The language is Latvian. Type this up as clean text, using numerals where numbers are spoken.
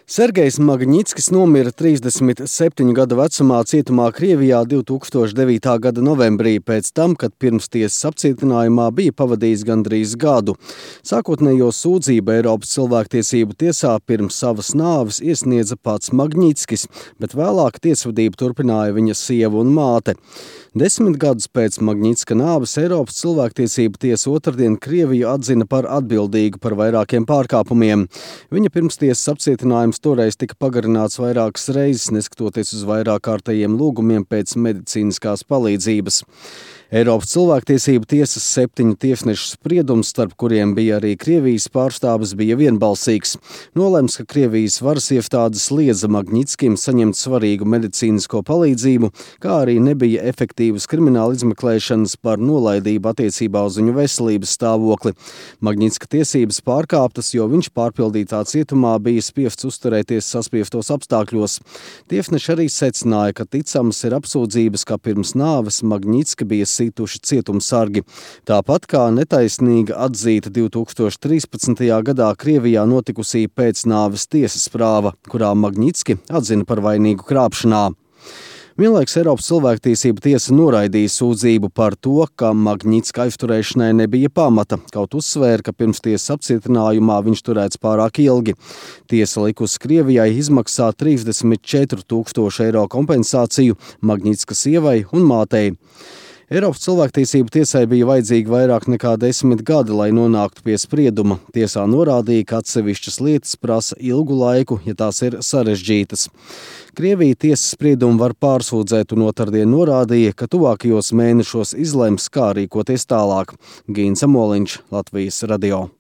Sergejs Magņitskis nomira 37 gadu vecumā cietumā Krievijā 2009. gada novembrī, pēc tam, kad pirmstiesas apcietinājumā bija pavadījis gandrīz gadu. Sākotnējo sūdzību Eiropas cilvēktiesību tiesā pirms savas nāves iesniedza pats Magņitskis, bet vēlāk tiesvedību turpināja viņa sieva un māte. 10 gadus pēc Magņitska nāves Eiropas cilvēktiesību tiesa otrdien Krieviju atzina par atbildīgu par vairākiem pārkāpumiem. Viņa pirmstiesas apcietinājums toreiz tika pagarināts vairākas reizes, neskatoties uz vairāk kārtējiem lūgumiem pēc medicīniskās palīdzības. Eiropas cilvēktiesību tiesas 7 tiesnešu spriedums, starp kuriem bija arī Krievijas pārstāvis, bija vienbalsīgs. Nolemts, ka Krievijas varas iestādes liedza Magņitskim saņemt svarīgu medicīnisko palīdzību, kā arī nebija efektīvas krimināla izmeklēšanas par nolaidību attiecībā uz viņu veselības stāvokli. Magņitska tiesības pārkāptas, jo viņš pārpildītā cietumā bija spiests uzturēties saspiestos apstākļos. Tiesneši arī secināja, ka ticamas ir apsūdzības, ka pirms nāves Magņitska bija situši cietumsargi. Tāpat kā netaisnīga atzīta 2013. gadā Krievijā notikusī pēcnāves tiesas prāva, kurā Magņitski atzina par vainīgu krāpšanā. Vienlaiks Eiropas cilvēktiesību tiesa noraidīja sūdzību par to, ka Magņitska aizturēšanai nebija pamata, kaut uzsvēra, ka pirmstiesas apcietinājumā viņš turēts pārāk ilgi. Tiesa likusi Krievijai izmaksāt 34 000 eiro kompensāciju Magņitska sievai un mātei. Eiropas cilvēktiesību tiesai bija vajadzīgi vairāk nekā 10 gadi, lai nonāktu pie sprieduma. Tiesā norādīja, ka atsevišķas lietas prasa ilgu laiku, ja tās ir sarežģītas. Krievija tiesas spriedumu var pārsūdzēt un otrdien norādīja, ka tuvākajos mēnešos izlems, kā rīkoties tālāk. Gīns Amoliņš, Latvijas radio.